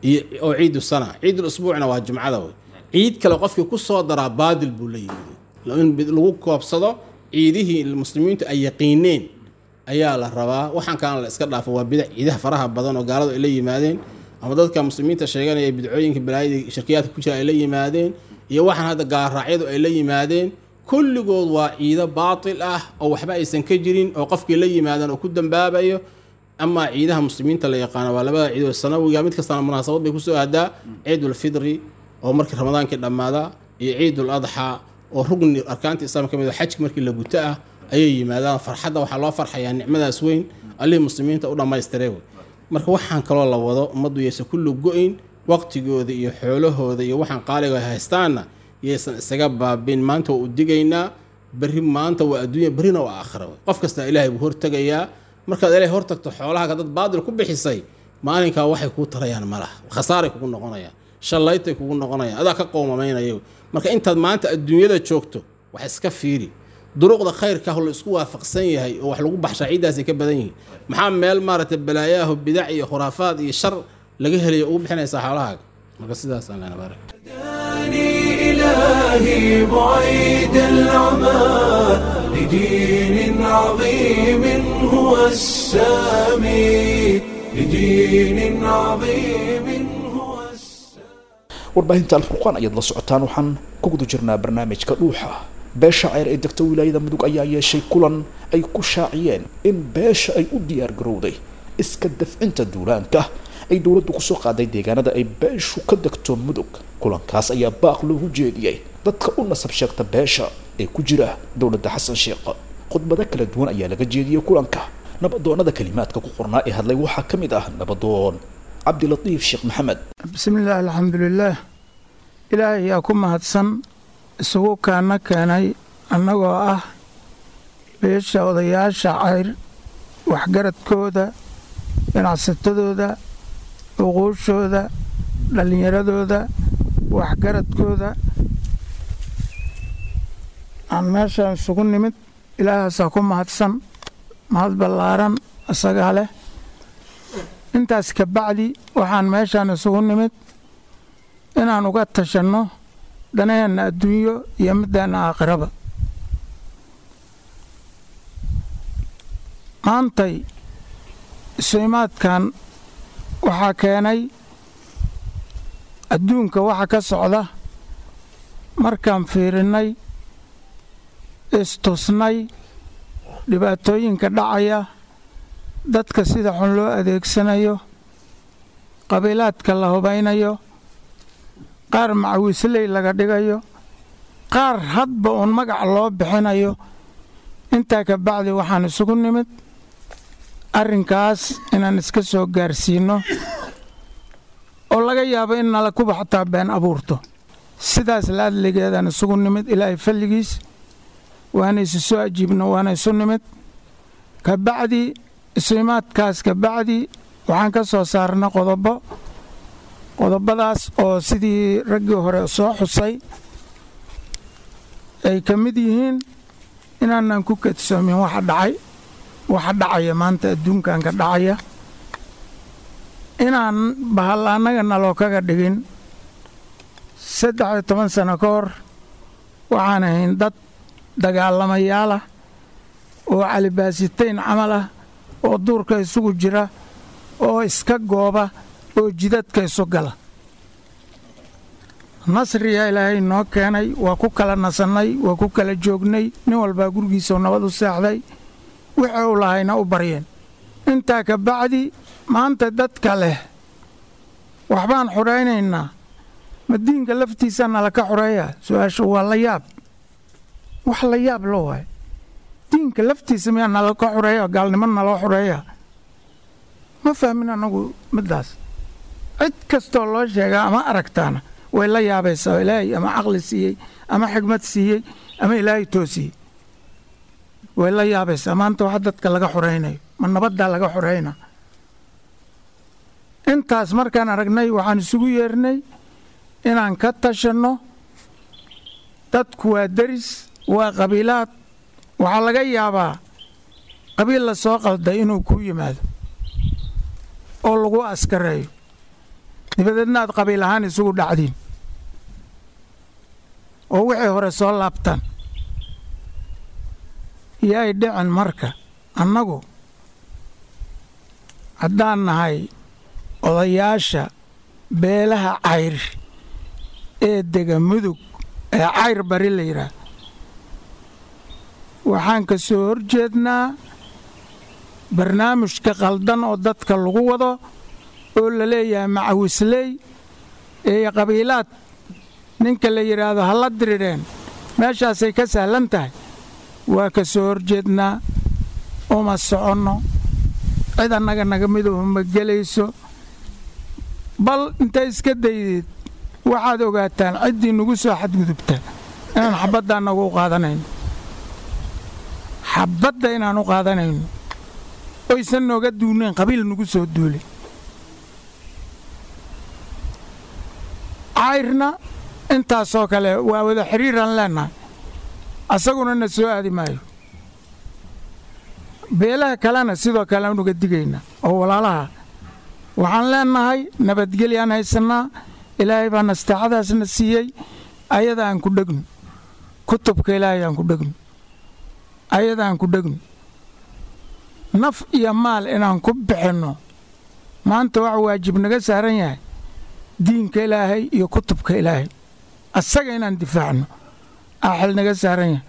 iyo oo ciidu sana, ciidul usbuucna waa jumcada wey. Ciid kale qofkii ku soo daraa baadil buu la yimid. In lagu koobsado ciidihii muslimiintu ay yaqiineen ayaa la rabaa, waxaan kalena la iska dhaafo, waa bidac. Ciidaha faraha badan oo gaaladu ay la yimaadeen ama dadka muslimiinta sheeganaya bidcooyinka balaayada shirkiyaadka ku jira ay la yimaadeen iyo waxaan hadda gaalraacyadu ay la yimaadeen, kulligood waa ciido baatil ah oo waxba aysan ka jirin oo qofkii la yimaadaan oo ku dambaabayo. Amaa ciidaha muslimiinta la yaqaano waa labada ciidood sanawiga, mid kastana munaasabad bay kusoo aadaa, ciidulfidri oo markii ramadaankii dhammaada iyo ciidul adxaa oo rugni arkaanta islaamka ka mid ah xajka markii la guto ah ayay yimaadaan. Farxadda waxaa loo farxayaa nicmadaas weyn allihii muslimiinta u dhammaystiray wey. Marka waxaan kaloo la wado ummaddu yaysan kullu go-in, waqtigooda iyo xoolahooda iyo waxaan qaaliga ay haystaanna yaysan isaga baabin. Maanta waa u digaynaa, berri maanta waa adduunya, berrina waa aakhira wey. Qof kasta Ilaahay buu hortegayaa. Markaad Ilaahay hortagto xoolahaaga dad baadil ku bixisay maalinkaa waxay kuu tarayaan malaha, khasaaray kugu noqonayaan, shallaytay kugu noqonayaan, adaa ka qoomamaynaya. Marka intaad maanta adduunyada joogto wax iska fiiri duruqda khayrka la isku waafaqsan yahay oo wax lagu baxshaa ciiddaasay ka badan yihiin. Maxaa meel maaragtay balaayaho bidac iyo khuraafaad iyo shar Laga helayo ugu bixinaysaa xoolahaaga. Marka sidaasaan lena baarak. إلهي بعيد العمى لدين عظيم هو السامي، لدين عظيم هو السامي. Warbaahinta Alfurqaan ayaad la socotaan, waxaan ku guda jirnaa barnaamijka Dhuuxa. Beesha Ceyr ee degta wilaayada Mudug ayaa yeeshay kulan ay ku shaaciyeen in beesha ay u diyaar garowday iska dafcinta duulaanka ay dowladdu kusoo qaaday deegaanada ay beeshu ka degto Mudug. Kulankaas ayaa baaq loogu jeediyey dadka u nasab sheegta beesha ee ku jira dowladda Xasan Sheekh. Khudbado kala duwan ayaa laga jeediyey kulanka. Nabadoonada kalimaadka ku qornaa ee hadlay waxaa ka mid ah nabadoon Cabdilatiif Sheekh Maxamed. Bismillaah, alxamdulilaah, Ilaahay yaa ku mahadsan isugu kaana keenay annagoo ah beesha odayaasha Cayr, waxgaradkooda, ganacsatadooda, uquushooda, dhallinyaradooda, waxgaradkooda aan meeshaan isugu nimid. Ilaahaasaa ku mahadsan, mahad ballaaran isagaa leh. Intaas ka bacdi, waxaan meeshaan isugu nimid inaan uga tashanno danaheenna adduunyo iyo middeenna aakhiraba. Maantay isuimaadkan waxaa keenay adduunka waxa ka socda. Markaan fiirinnay, istusnay dhibaatooyinka dhacaya, dadka sida xun loo adeegsanayo, qabiilaadka la hubaynayo, qaar macawiisley laga dhigayo, qaar hadba uun magac loo bixinayo, intaa ka bacdi waxaan isugu nimid arrinkaas inaan iska soo gaarsiinno, oo laga yaabo in nala kuba xataa been abuurto. Sidaas laadligeedaan isugu nimid. Ilaahay falligiis waana isu soo ajiibno, waana isu nimid. Ka bacdi isuimaadkaas ka bacdi waxaan ka soo saarna qodobo, qodobadaas oo sidii raggii hore soo xusay ay ka mid yihiin inaanan ku kadsoomin waxa dhacay, waxa dhacaya maanta adduunkan ka dhacaya, inaan bahal annaga naloo kaga dhigin. 13 sano ka hor waxaan ahayn dad dagaalamayaal ah oo calibaasitayn camal ah, oo duurka isugu jira, oo iska gooba, oo jidadka isu gala. Nasriyaa Ilaahay noo keenay, waa ku kala nasannay, waa ku kala joognay, nin walbaa gurigiisau nabad u seexday, wixii u lahayna u baryeen. Intaa ka bacdi maanta dadka leh waxbaan xudhaynaynaa, ma diinka laftiisa nala ka xureeya? Su-aashu waa la yaab, wax la yaab loo waayo. Diinka laftiisa miyaa nala ka xureeya? Gaalnimo naloo xureeya? Ma fahmin annagu middaas. Cid kastoo loo sheegaa ama aragtaana way la yaabaysaa. Ilaahay ama caqli siiyey ama xigmad siiyey ama Ilaahay toosiyey, way la yaabaysaa maanta waxa dadka laga xuraynayo. Ma nabaddaa laga xurayna? Intaas markaan aragnay waxaan isugu yeernay inaan ka tashanno. Dadku waa deris, waa qabiilaad. Waxaa laga yaabaa qabiil la soo qalday inuu kuu yimaado oo lagu askareeyo, dabadeedna aad qabiil ahaan isugu dhacdiin oo wixii hore soo laabtaan. Yaay dhicin. Marka annagu haddaan nahay odayaasha beelaha Cayr ee dega Mudug ee Cayr Bari la yidhaah, waxaan ka soo horjeednaa barnaamijka qaldan oo dadka lagu wado oo la leeyahay macawisley ee qabiilaad ninka la yidhaahdo ha la dirireen, meeshaasay ka sahlan tahay. Waa ka soo horjeednaa, uma soconno, cid annaga naga miduhu ma gelayso. Bal intay iska daydeed, waxaad ogaataan ciddii nagu soo xadgudubta inaan xabadda annagu u qaadanayno, xabadda inaan u qaadanayno, oysan nooga duunayn qabiil nagu soo duulay. Cayrna intaasoo kale waa wada xidhiiraan leennahay, asaguna na soo aadi maayo. Beelaha kalena sidoo kale aan uga digaynaa oo walaalaha Waxaan leenahay nabadgelyaan haysannaa, Ilaahay baa nasteexadaasna siiyey, ayada aan ku dhegno, kutubka Ilaahay aan ku dhegno, ayada aan ku dhegno, naf iyo maal inaan ku bixinno. Maanta waxa waajib naga saaran yahay diinka Ilaahay iyo kutubka Ilaahay, asaga inaan difaacno aa xil naga saaran yahay.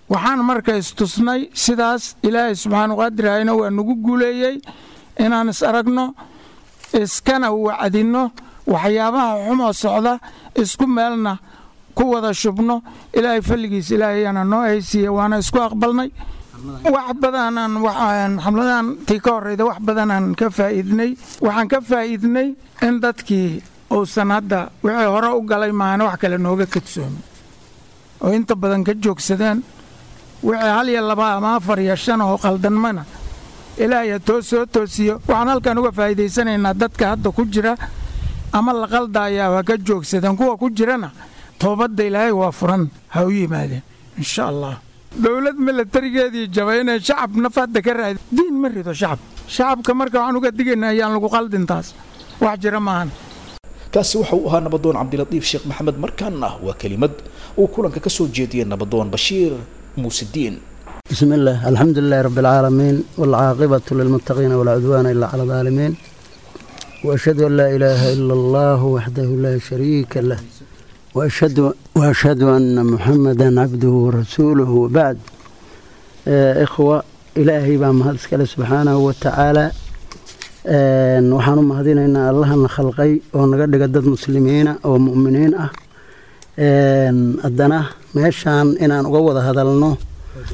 Waxaan marka istusnay sidaas, Ilaahay subxaanu qaadirahayna waa nagu guuleeyey inaan is aragno, iskana wacdinno waxyaabaha xumoo socda, isku meelna ku wada shubno. Ilaahay falligiis Ilaahayaana noo haysiiye, waana isku aqbalnay. Wax badanaan xamladan tii ka horreyda wax badanaan ka faa'iidnay. Waxaan ka faa'iidnay in dadkii uusan hadda wixii hore u galay maahane wax kale nooga kadsoomin, oo inta badan ka joogsadeen wixii 1 iyo 2 ama 4 iyo 5 oo qaldanmana Ilaahay too soo toosiyo. Waxaan halkan uga faa'iidaysanaynaa dadka hadda ku jira ama la qaldayaa waa ka joogsadeen, kuwa ku jirana toobadda Ilaahay waa furan, ha u yimaadeen insha Allah. Dowlad milatarigeedii jabay inay shacab naf hadda ka raadi, diin ma rido shacab. Shacabka marka waxaan uga digaynaa ayaan lagu qaldin, taas wax jira maahan. Kaasi waxa uu ahaa nabadoon Cabdilatiif Sheekh Maxamed. Markaana waa kelimad uu kulanka ka soo jeediyey nabadoon Bashiir Muusidiin. بسم الله، الحمد لله رب العالمين، والعاقبة للمتقين، ولا عدوان إلا على الظالمين، وأشهد أن لا إله إلا الله وحده لا شريك له، وأشهد أن محمدا عبده ورسوله، وبعد. إخوة، إلهي baa mahad iskale subxaanahu wa tacaala. Waxaan u mahadinaynaa Allahana khalqay oo naga dhiga dad muslimiina oo mu'miniin ah. Haddana meeshaan inaan uga wada hadalno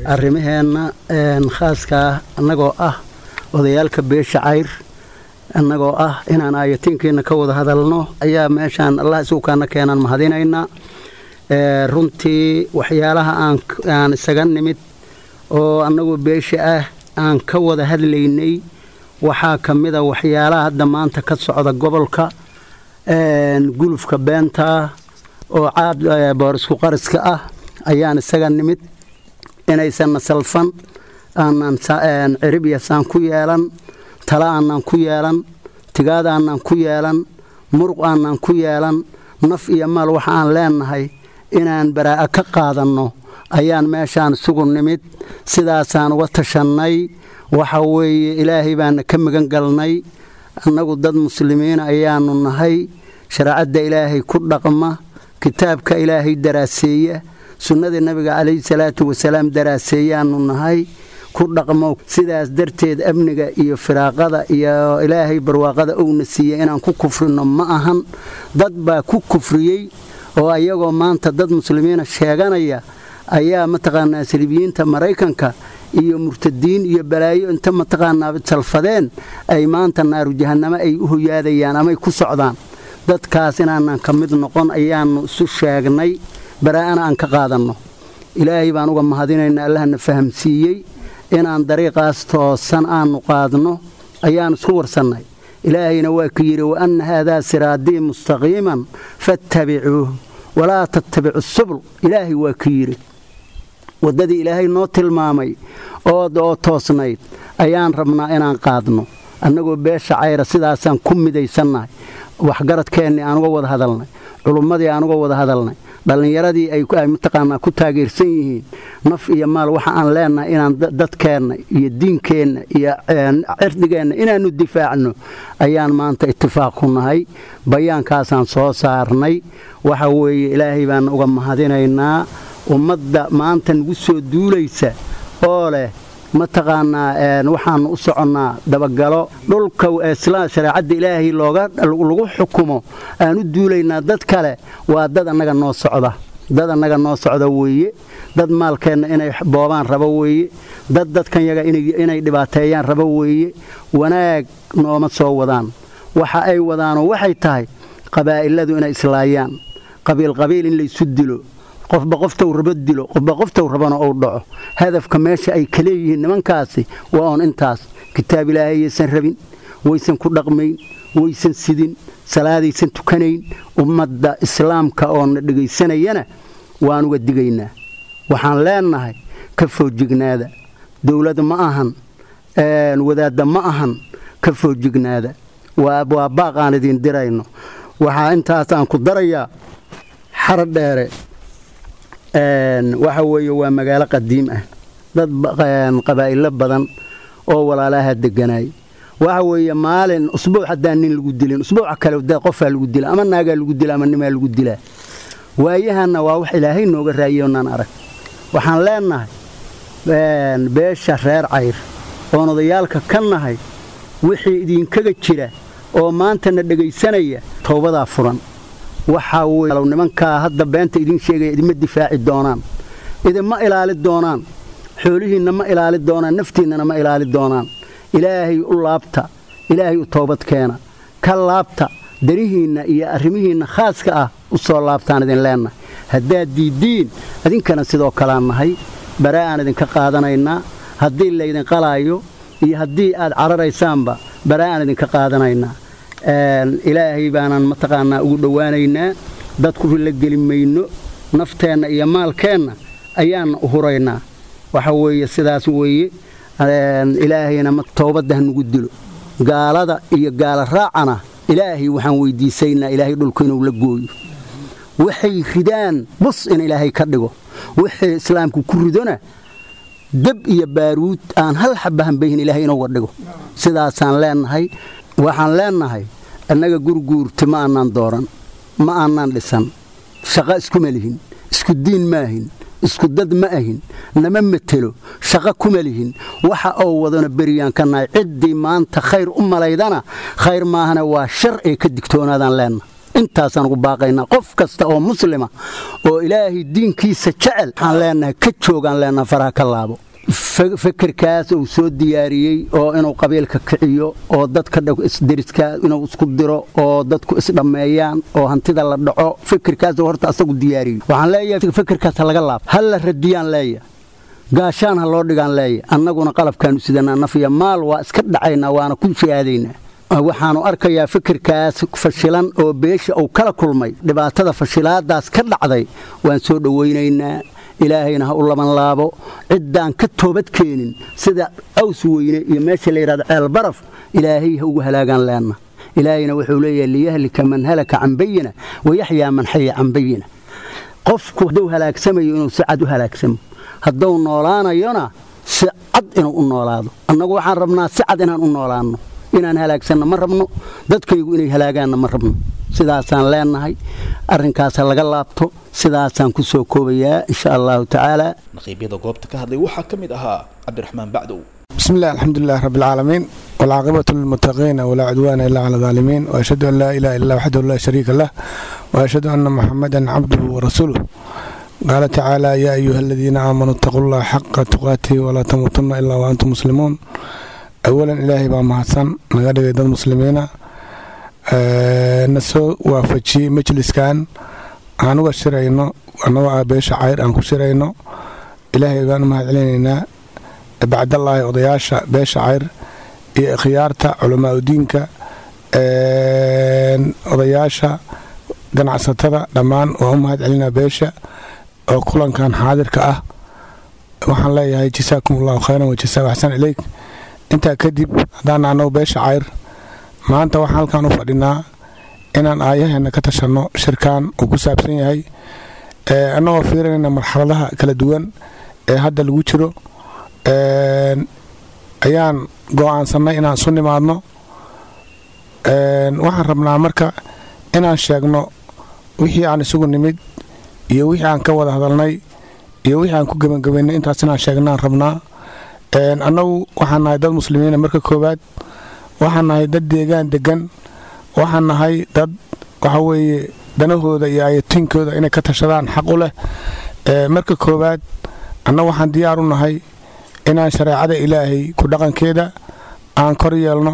arrimaheenna khaaskaa, annagoo ah odayaalka beesha Cayr, annagoo ah inaan aayatiinkiina ka wada hadalno ayaa meeshaan Allah isugu kaana keenaan mahadinaynaa. Runtii waxyaalaha aan isaga nimid oo annagu beesha ah aan ka wada hadlaynay waxaa ka mid a waxyaalaha hadda maanta ka socda gobolka, gulufka beenta oo caad boorisku qariska ah ayaan isaga nimid, inaysanna salfan, aanan cirib iyo saan ku yeelan, tala aanan ku yeelan, tigaad aanan ku yeelan, muruq aanan ku yeelan, naf iyo maal waxa aan leenahay inaan baraa'a ka qaadanno ayaan meeshaan isugu nimid. Sidaasaan uga tashannay. Waxa weeye Ilaahay baana ka magan galnay. Annagu dad muslimiin ayaanu nahay, shareecadda Ilaahay ku dhaqma, kitaabka Ilaahay daraaseeya, sunnada Nabiga calayhi salaatu wasalaam daraaseeyaanu nahay, ku dhaqmo. Sidaas darteed amniga iyo firaaqada iyo Ilaahay barwaaqada uuna siiyey inaan ku kufrino ma ahan. Dad baa ku kufriyey oo ayagoo maanta dad muslimiina sheeganaya ayaa mataqaanaa saliibiyiinta Maraykanka iyo murtadiin iyo balaayo inta mataqaanaa salfadeen ay maanta naaru jahannamo ay u hoyaadayaan amay ku socdaan. Dadkaas inaanan ka mid noqon ayaanu isu sheegnay, baraa'ana aan ka qaadanno. Ilaahay baan uga mahadinaynaa Allahna fahamsiiyey inaan dariiqaas toosan aanu qaadno ayaan isku warsannay. Ilaahayna waa ku yidhi: wa anna haadaa siraadii mustaqiiman fattabicuuh walaa tattabicu subul. Ilaahay waa ku yidhi waddadii Ilaahay noo tilmaamay oo toosnayd ayaan rabnaa inaan qaadno. Annagoo beesha Cayra sidaasaan ku midaysannahay. Waxgaradkeennii aan uga wada hadalnay, culummadii aan uga wada hadalnay, dhallinyaradii ay mataqaanaa ku taageersan yihiin, naf iyo maal waxa aan leenahay inaan dadkeenna iyo diinkeenna iyo cirdigeenna inaannu difaacno ayaan maanta itifaaq ku nahay. Bayaankaasaan soo saarnay. Waxa weeye Ilaahay baan uga mahadinaynaa. Ummadda maanta nagu soo duulaysa oo leh mataqaanaa waxaanu u soconnaa dabagalo dhulka shareecadda Ilaahay looga lagu xukumo aan u duulaynaa, dad kale waa dad annaga noo socda, dad annaga noo socda weeye, dad maalkeenna inay boobaan rabo weeye, dad dadkan yaga inay dhibaateeyaan rabo weeye. Wanaag nooma soo wadaan. Waxa ay wadaanoo waxay tahay qabaa'iladu inay islaayaan, qabiil qabiil in laysu dilo, qofba qoftou rabo dilo, qofba qoftou rabana uu dhaco. Hadafka meesha ay ka leeyihiin nimankaasi waa oon intaas. Kitaab Ilaahay yaysan rabin, waysan ku dhaqmayn, waysan sidin, salaadaysan tukanayn. Ummadda islaamka oona dhegaysanayana waan uga digaynaa. Waxaan leenahay ka foojignaada. Dowlad ma ahan, wadaadda ma ahan, ka foojignaada. Waa baaq aan idin dirayno. Waxaa intaas aan ku darayaa Xaradheere waxa weeye waa magaalo qadiim ah, dad qabaa'ilo badan oo walaalaha deganaay. Waxa weeye maalin usbuuc haddaan nin lagu dilin, usbuuca kale qofaa lagu dila, ama naagaa lagu dila, ama nimaa lagu dilaa. Waayahanna waa wax Ilaahay nooga raayay oonaan arag. Waxaan leenahay beesha reer Cayr oon odayaalka ka nahay, wixii idinkaga jira oo maantana dhegaysanaya, towbadaa furan. Waxaa weye nimankaa hadda beenta idiin sheegaya idinma difaaci doonaan, idinma ilaali doonaan, xoolihiinna ma ilaali doonaan, naftiinnana ma ilaali doonaan. Ilaahay u laabta, Ilaahay u toobad keena, ka laabta danihiinna iyo arrimihiinna khaaska ah, u soo laabtaan idin leennahay. Haddaad diiddiin, idinkana sidoo kalean nahay, baraa aan idinka qaadanaynaa. Haddii laydin qalaayo iyo haddii aad cararaysaanba, baraa aan idinka qaadanaynaa. Ilaahay baanaan mataqaanaa ugu dhowaanaynaa, dadku rila geli mayno, nafteenna iyo maalkeenna ayaanna u huraynaa. Waxa weeye sidaas weeye. Ilaahayna toobadda ha nugu dilo, gaalada iyo gaala raacana Ilaahay waxaan weydiisaynaa Ilaahay dhulku inuu la gooyo, waxay ridaan bus in Ilaahay ka dhigo, wixii islaamku ku ridona dab iyo baaruud aan hal xaba hambayhin Ilaahay inuuga dhigo. Sidaasaan leenahay. Waxaan leenahay annaga Gurguurti ma aanaan dooran, ma aanaan dhisan, shaqo iskuma lihin, isku diin ma ahin, isku dad ma ahin, nama metelo, shaqo kuma lihin. Waxa oo wadana beriyaan ka nahay. Ciddii maanta khayr u malaydana khayr maahana waa shar ay ka digtoonaadaan leenna. Intaasaan ugu baaqaynaa qof kasta oo muslima oo Ilaahay diinkiisa jecel. Waxaan leenahay ka joogaan leenaha, faraha ka laabo fekerkaas uu soo diyaariyey oo inuu qabiilka kiciyo oo dadka isderiska inuu isku diro oo dadku isdhammeeyaan oo hantida la dhaco. Fikirkaas horta asagu diyaariyey, waxaan leeyahay fikirkaas ha laga laabo, ha la radiyaan leeyahay, gaashaan ha loo dhigaan leeyahay. Annaguna qalabkaanu sidanaa, naf iyo maal waa iska dhacaynaa, waana ku jihaadaynaa. Waxaanu arkayaa fikirkaas fashilan oo beesha uu kala kulmay, dhibaatada fashilaadaas ka dhacday waan soo dhowaynaynaa. Ilaahayna ha u laban laabo ciddaan ka toobad keenin, sida Aws Weyne iyo meesha la yidhahdo Ceel Baraf Ilaahay ha ugu halaagaan leenna. Ilaahayna wuxuu leeyahay liyahlika man halaka can bayina wayaxyaa man xaya can bayina. Qofku hadduu halaagsamayo inuu si cad u halaagsamo, hadduu noolaanayona si cad inuu u noolaado. Annagu waxaan rabnaa si cad inaan u noolaanno. Inaan halaagsanno ma rabno, dadkaygu inay halaagaanna ma rabno. Sidaasaan leenahay, arrinkaasa laga laabto. Sidaasaan ku soo koobayaa insha Allahu tacaala. Naqiibyada goobta ka hadlay waxaa ka mid ahaa Cabdiraxmaan Bacdow. بسم الله، الحمد لله رب العالمين، والعاقبة للمتقين، ولا عدوان إلا على الظالمين، وأشهد أن لا إله إلا الله وحده لا شريك له، وأشهد أن محمدا عبده ورسوله. قال تعالى: يا أيها الذين آمنوا اتقوا الله حق تقاته ولا تموتن إلا وأنتم مسلمون. أولا، إلهي baa mahadsan naga dhigay dad muslimiina, na soo waafajiyey majliskan aan uga shirayno annagoo ah beesha Cayr aan ku shirayno. Ilaahay baan u mahad celinaynaa. Bacdallaahi, odayaasha beesha Cayr iyo ikhyaarta culamaaudiinka, odayaasha ganacsatada, dhammaan waan u mahad celinaa beesha oo kulankan xaadirka ah. Waxaan leeyahay jasaakum Allahu khayran wa jasaa axsan ilayk. Intaa kadib, haddaan annagu beesha Cayr maanta waxaan halkan u fadhinaa inaan aayaheena ka tashanno. Shirkan uu ku saabsan yahay annagoo fiirinayna marxaladaha kala duwan ee hadda lagu jiro ayaan go'aansannay inaan isu nimaadno. Waxaan rabnaa marka inaan sheegno wixii aan isugu nimid iyo wixii aan ka wada hadalnay iyo wixii aan ku gebangebaynay. Intaas inaan sheegnaan rabnaa. Annagu waxaan nahay dad muslimiina. Marka koowaad, waxaan nahay dad deegaan degan, waxaan nahay dad waxa weeye danahooda iyo ayatiinkooda inay ka tashadaan xaq u leh. Marka koowaad, annagu waxaan diyaar u nahay inaan shareecada Ilaahay ku dhaqankeeda aan kor yeelno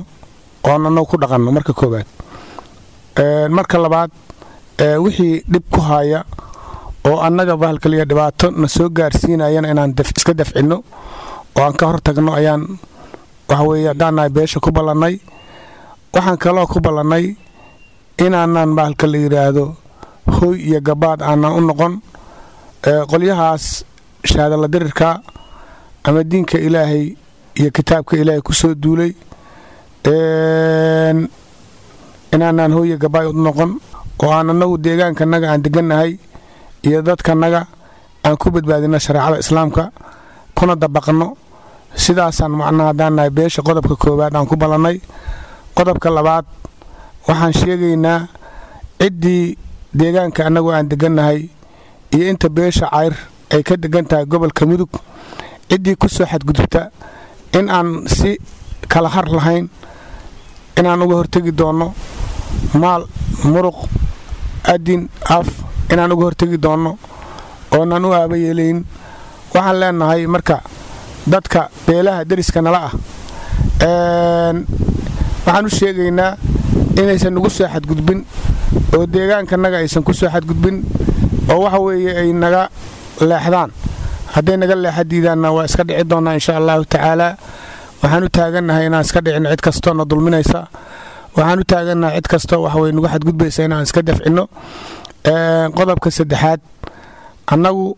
oon annagu ku dhaqanno marka koowaad. Marka labaad, wixii dhib ku haya oo annaga bahalkaliya dhibaato na soo gaarsiinayana inaan iska dafcinno oo aan ka hor tagno ayaan waxa weeye haddaan nahay beesha ku ballannay. Waxaan kaloo ku ballannay inaanaan bahalka la yidhaahdo hoy iyo gabaad aanaan u noqon qolyahaas shaadala dirirka ama diinka Ilaahay iyo kitaabka Ilaahay ku soo duulay. Inaanaan hooya gabaay u noqon oo aan annagu deegaankanaga aan degannahay iyo dadkanaga aan ku badbaadino shareecada Islaamka kuna dabaqno. Sidaasaan macnaha haddaan nahay beesha qodobka koowaad aan ku ballannay. Qodobka labaad, waxaan sheegaynaa ciddii deegaanka annagu aan degannahay iyo inta beesha Cayr ay ka degan tahay gobolka Mudug, ciddii ku soo xadgudubta in aan si kala har lahayn inaan uga hortegi doonno, maal, muruq, adin, af inaan uga hortegi doonno oonaan u aaba yeelayn. Waxaan leenahay marka dadka beelaha deriska nala ah waxaan u sheegaynaa inaysan nagu soo xadgudbin oo deegaankanaga aysan ku soo xadgudbin oo waxa weeye ay naga leexdaan. Hadday naga leexa diidaanna, waa iska dhici doonnaa, insha Allahu tacaalaa. Waxaan u taagannahay inaan iska dhicin cid kastoo na dulminaysa. Waxaan u taagannahay cid kastoo waxaweye nagu xadgudbaysa inaan iska dafcinno. Qodobka saddexaad, annagu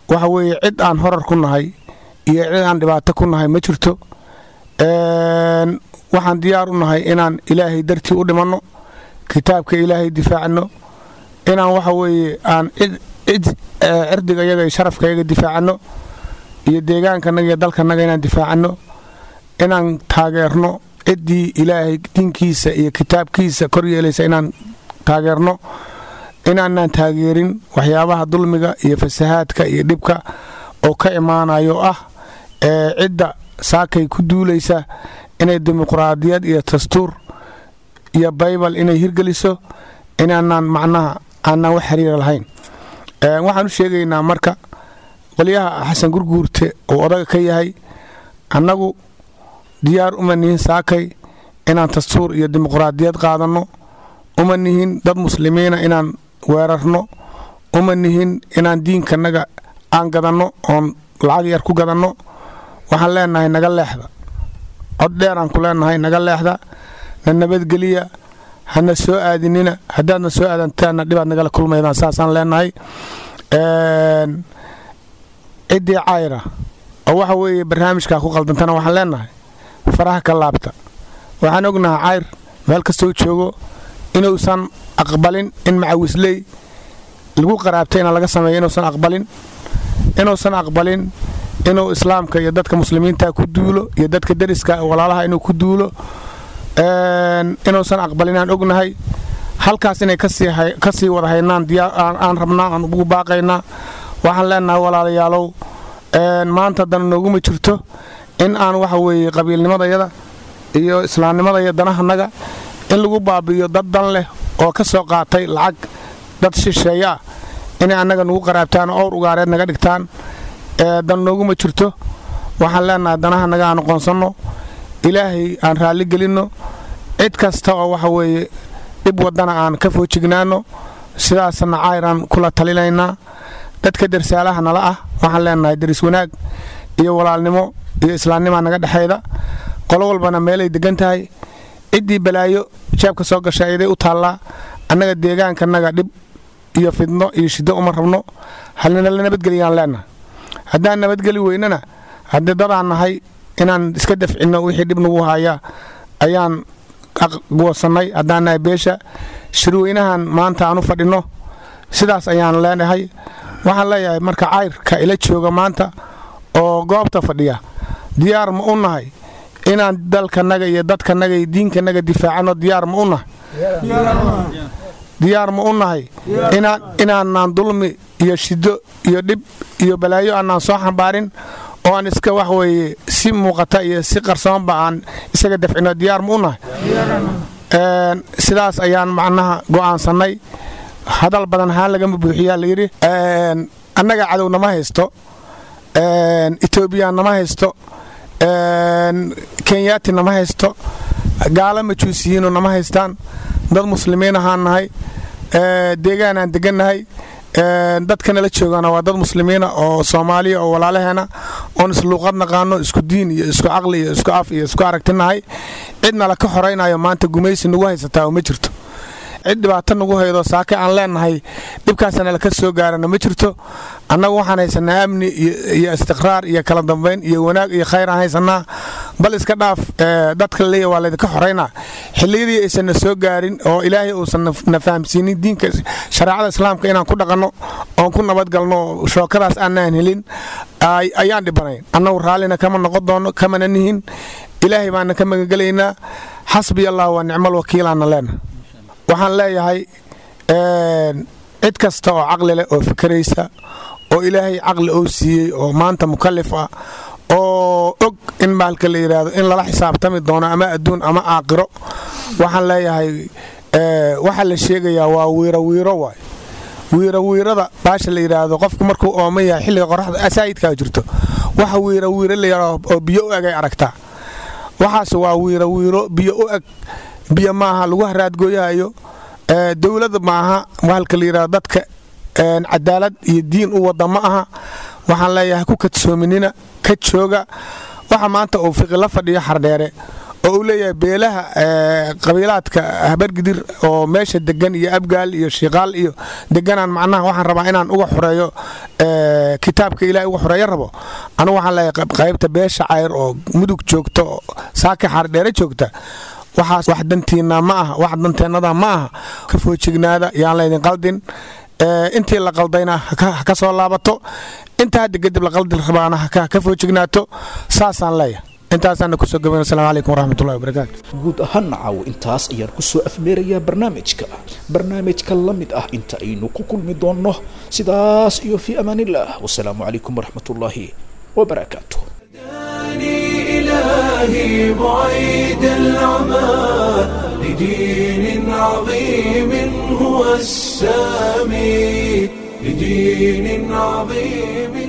waxa weeye cid aan horar ku nahay iyo cid aan dhibaato ku nahay ma jirto. Waxaan diyaar u nahay inaan Ilaahay dartii u dhimanno, kitaabka Ilaahay difaacno, inaan waxa weeye aan cid cirdiga yaga iyo sharafkayaga difaacanno iyo deegaankanaga iyo dalkanaga inaan difaacanno, inaan taageerno ciddii Ilaahay diinkiisa iyo kitaabkiisa kor yeelaysa inaan taageerno, inaanaan taageerin waxyaabaha dulmiga iyo fasahaadka iyo dhibka oo ka imaanayo ah ee cidda saakay ku duulaysa inay dimuqraadiyad iyo dastuur iyo Baybal inay hirgeliso, inaanaan macnaha aanaan wax xiriira lahayn. Waxaan u sheegaynaa marka qolyaha Xasan Gurguurte uu odaga ka yahay, annagu diyaar uma nihin saakay inaan dastuur iyo dimuqraadiyad qaadanno, uma nihin dad muslimiina inaan weerarno, uma nihin inaan diinkanaga aan gadanno oon lacag yar ku gadanno. Waxaan leenahay naga leexda, cod dheeraan ku leenahay, naga leexda, na nabadgeliya, hana soo aadinina. Haddaadna soo aadantaanna dhibaad nagala kulmaydaan, saasaan leenahay. Ciddii Cayra oo waxa weeye barnaamijkaa ku qaldantana waxaan leenahay faraha ka laabta. Waxaan ognahay Cayr meel kastoo joogo inuusan aqbalin in macawisley lagu qaraabtay inaan laga sameeyo, inuusan aqbalin, inuusan aqbalin inuu Islaamka iyo dadka muslimiinta ku duulo iyo dadka deriska walaalaha inuu ku duulo inuusan aqbalin aan ognahay. Halkaas inay ka sii wada haynaan aan rabnaa, aan ugu baaqaynaa. Waxaan leenahay walaalayaalow, maanta dana nooguma jirto in aan waxa weeye qabiilnimadayada iyo islaamnimada iyo danahanaga in lagu baabi'iyo dad dan leh oo ka soo qaatay lacag dad shisheeye ah inay annaga nagu qaraabtaan oo owr ugaareed naga dhigtaan, dan nooguma jirto. Waxaan leenahay danahanaga aan aqoonsanno, Ilaahay aan raalli gelinno, cid kasta oo waxa weeye dhib wadana aan ka foojignaanno. Sidaasna Cayraan kula talinaynaa. Dadka darsaalaha nala ah waxaan leenahay deris wanaag iyo walaalnimo iyo islaamnimaa naga dhexayda, qolo walbana meelay degan tahay. Ciddii balaayo jeebka soo gashay ayaday u taallaa. Annaga deegaankanaga dhib iyo fidno iyo shiddo uma rabno, halnala nabadgeliyaan leenahay. Haddaan nabadgeli weynana, haddii dadaan nahay inaan iska dafcinno wixii dhib nagu haya ayaan goosannay haddaan nahay beesha. Shirweynahan maanta aan u fadhinno sidaas ayaan leenahay. Waxaan leeyahay marka Cayrka ila jooga maanta oo goobta fadhiya, diyaar ma u nahay inaan dalkanaga iyo dadkanaga iyo diinkanaga difaacano? Diyaar ma u nahay? Diyaar ma u nahay inaanaan dulmi iyo shiddo iyo dhib iyo balaayo aanaan soo xambaarin oo aan iska wax weeye si muuqata iyo si qarsoonba aan isaga dafcino? Diyaar ma u nahay? Sidaas ayaan macnaha go'aansannay. Hadal badan haan lagama buuxiyaa layidhi. Annaga cadow nama haysto, Etoobiya nama haysto, Kenyaati nama haysto, gaalo majuusiyiinu nama haystaan. Dad muslimiin ahaan nahay, deegaanaan degannahay, dadka nala joogana waa dad muslimiina oo Soomaaliya oo walaalaheena oon isluuqad naqaano, isku diin iyo isku caqli iyo isku af iyo isku aragtinahay. Cidna la ka xoraynayo maanta gumaysi nagu haysataa oo ma jirto. Cid dhibaato nagu haydo saake aan leenahay dhibkaasna laka soo gaarana ma jirto. Annagu waxaan haysanaa amni iyo istiqraar iyo kala dambayn iyo wanaag iyo khayr aan haysanaa. Bal iska dhaaf dadka laleeya waa laydinka xoraynaa, xilliyadii aysan na soo gaarin oo Ilaahay uusan na fahamsiinin diinka shareecada Islaamka inaan ku dhaqanno oon ku nabadgalno, shookadaas aanaan helin ayaan dhibanayn. Annagu raallina kama noqon doono, kamana nihin. Ilaahay baana ka magangelaynaa. Xasbiya Allah waa nicmal wakiilaana leena. Waxaan leeyahay cid kasta oo caqli leh oo fikraysa oo Ilaahay caqli oo siiyey oo maanta mukalif ah oo og in bahalka la yidhaahdo in lala xisaabtami doono ama adduun ama aaqiro, waxaan leeyahay waxaa la sheegayaa waa wiiro wiiro waay. Wiiro wiirada baasha la yidhaahdo, qofku markuu ooman yahay xilliga qoraxda asaayidkaa jirto, waxa wiiro wiiro la yidhaahdo oo biyo u egay aragtaa. Waxaas waa wiiro wiiro biyo u eg, biyo maaha lagu haraadgooyahayo. Dowladda maaha bahalka la yidhahdo, dadka cadaalad iyo diin u wada ma aha. Waxaan leeyahay ku kadsoominina, ka jooga. Waxa maanta uu Fiqi la fadhiyo Xardheere oo uu leeyahay beelaha qabiilaadka Habargidir oo meesha degan iyo Abgaal iyo Shiiqaal iyo deganaan, macnaha waxaan rabaa inaan uga xoreeyo kitaabka Ilahay uga xoreeyo rabo. Anigu waxaan leeyahay qaybta beesha Cayr oo Mudug joogta oo saaka Xardheere joogta, waxaas wax dantiinna ma aha, wax danteennada ma aha. Ka foojignaada, yaan laydin qaldin. Intii la qaldayna ha ka soo laabato, inta hadda kadib la qaldi rabaana ha ka foojignaato. Saasaan leeyahay, intaasaana kusoo gabayn. Asalamu calaykum waraxmatullahi wabarakaatu. Guud ahaan caawo intaas ayaan kusoo afmeerayaa barnaamijka. Barnaamijka la mid ah inta aynu ku kulmi doonno, sidaas iyo fii amaanillah, wasalaamu calaykum waraxmatullaahi wabarakaatu. إلهي بعيد العمى لدين عظيم هو السامي، لدين عظيم.